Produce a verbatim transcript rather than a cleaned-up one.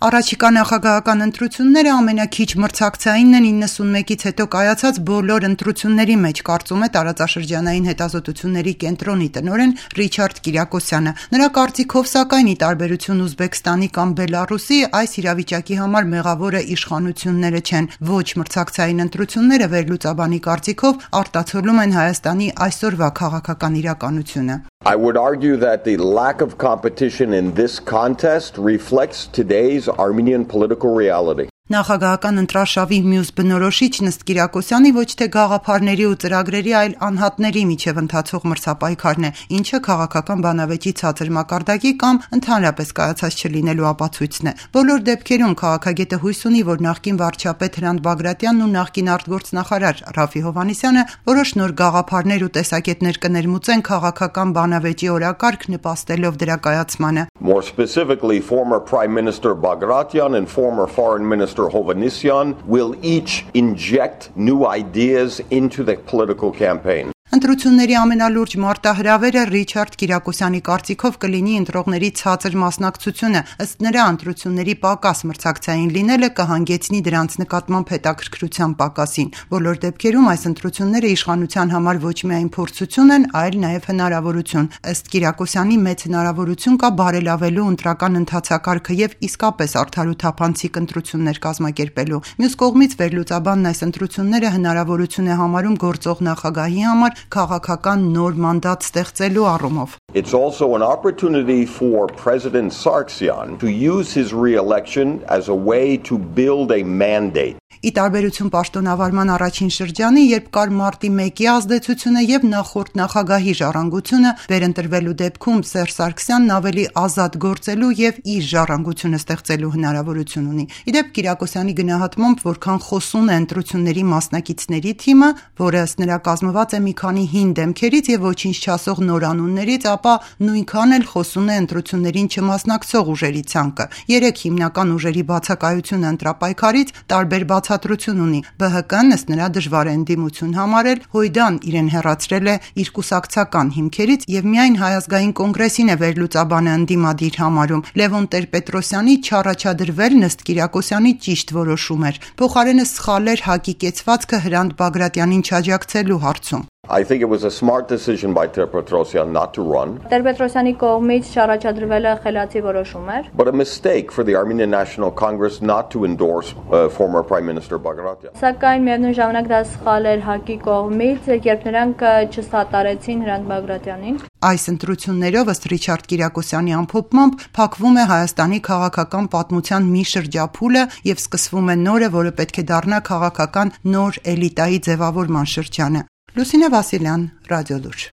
Առաջիկա նախագահական ընտրությունները ամենաքիչ մրցակցայինն են իննսունմեկից հետո կայացած բոլոր ընտրությունների մեջ, կարծում է տարածաշրջանային հետազոտությունների կենտրոնի տնօրեն Ռիչարդ Կիրակոսյանը։ Նրա կարծիքով, սակայն, ի տարբերություն Ուզբեկստանի կամ Բելառուսի, այս իրավիճակի համար մեղավորը իշխանությունները չեն։ Ոչ մրցակցային ընտրությունները վերլուծաբանի կարծիքով արտացոլում են Հայաստանի այսօրվա քաղաքական իրականությունը։ I would argue that the lack of competition in this contest reflects today's Armenian political reality. Նախագահական ընտրարշավի մյուս բնորոշիչ Նստ Կիրակոսյանի ոչ թե գաղափարների ու ծրագրերի, այլ անհատների միջև ընթացող մրցապայքարն է, ինչը քաղաքական բանավեճի ցածր մակարդակի կամ ընդհանրապես կայացած չլինելու ապացույցն է։ Բոլոր դեպքերում քաղաքագետը հույս ունի, որ նախկին վարչապետ Հրանտ Բագրատյանն ու նախկին արտգործնախարար Ռաֆի Հովհաննիսյանը որոշ նոր գաղափարներ ու տեսակետներ կներմուծեն քաղաքական բանավեճի օրակարգ, նպաստելով դրա կայացմանը։ More specifically, former Prime Minister Bagration and former Foreign Minister Hovanesyan will each inject new ideas into the political campaign. Ընտրությունների ամենալուրջ մարտահրավերը Ռիչարդ Կիրակոսյանի կարծիքով կլինի ընտրողների ցածր մասնակցությունը, ըստ նրա ընտրությունների պակաս մրցակցային լինելը կհանգեցնի դրանց նկատմամբ հետաքրքրության պակասին։ Բոլոր դեպքերում այս ընտրությունները իշխանության համար ոչ միայն փորձություն են, այլ նաև հնարավորություն։ Ըստ Կիրակոսյանի մեծ հնարավորություն կա բարելավելու ընտրական ընթացակարգը եւ իսկապես արդար ու թափանցիկ ընտրություններ կազմակերպելու։ Մյուս կողմից վերլուծաբանն այս ընտրությունները հնարավորություն է համարում գործող նախագահի համար քաղաքական նոր մանդատ ստեղծելու առումով։ It's also an opportunity for President Sargsyan to use his re-election as a way to build a mandate. Ի տարբերություն պաշտոնավարման առաջին շրջանի, երբ կար մարտի մեկի ազդեցությունը եւ նախորդ նախագահի ժառանգությունը, վերընտրվելու դեպքում Սերժ Սարգսյանն ավելի ազատ գործելու եւ իր ժառանգությունը ստեղծելու հնարավորություն ունի։ Իդեպ Կիրակոսյանի գնահատմամբ, որքան խոսուն է ընտրությունների մասնակիցների թիմը, որը ըստ նրա կազմված է մի քանի հին դեմքերից եւ ոչինչ չասող նորանուններից, ապա նույնքան էլ խոսուն է ընտրություններին չմասնակցող ուժերի ցանկը։ Երեք հիմնական ուժերի բացակայությունը ընտրապայքարից տարբեր բացատրություն ունի։ Բը հը կն ըստ նրա դժվար է ընդդիմություն համարել, Հույդան իրեն հեռացրել է իր կուսակցական հիմքերից եւ միայն Հայ ազգային կոնգրեսին է վերլուծաբանը ընդդիմադիր համարում։ Լևոն Տեր-Պետրոսյանի չառաջադրվել Նստ Կիրակոսյանի ճիշտ որոշում էր։ Փոխարենը սխալ էր ՀԱԿ-ի կեցվածքը Հրանտ Բագրատյանին չաջակցելու հարցում։ I think it was a smart decision by Ter-Petrosyan not to run. Ter-Petrosյանի կողմից չառաջադրվելը խելացի որոշում էր, but a mistake for the Armenian National Congress not to endorse uh, former Prime Minister Bagration. Սակայն միևնույն ժամանակ դա սխալ էր ՀԱԿ-ի կողմից, երբ նրանք չսատարեցին Հրանտ Բագրատյանին։ Այս ընտրություններով ըստ Ռիչարդ Կիրակոսյանի ամփոփմամբ փակվում է Հայաստանի քաղաքական պատմության մի շրջափուլը եւ սկսվում է նորը, որը պետք է դառնա քաղաքական նոր էլիտայի ձևավորման շրջանը։ Լուսինե Վասիլյան, Ռադիոլուր։